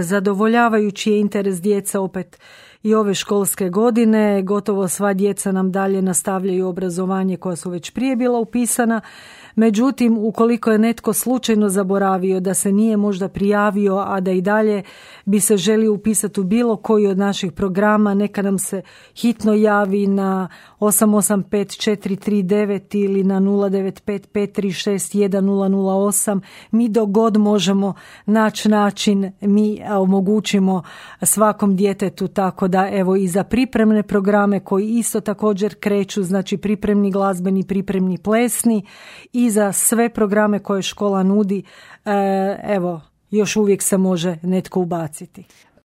Zadovoljavajući je interes djeca opet i ove školske godine. Gotovo sva djeca nam dalje nastavljaju obrazovanje koja su već prije bila upisana. Međutim, ukoliko je netko slučajno zaboravio da se nije možda prijavio, a da i dalje bi se želio upisati u bilo koji od naših programa, neka nam se hitno javi na 885-439 ili na 095-536-1008. Mi dok god možemo naći način, mi omogućimo svakom djetetu, tako da evo i za pripremne programe koji isto također kreću, znači pripremni glazbeni, pripremni plesni, i za sve programe koje škola nudi, evo, još uvijek se može netko ubaciti.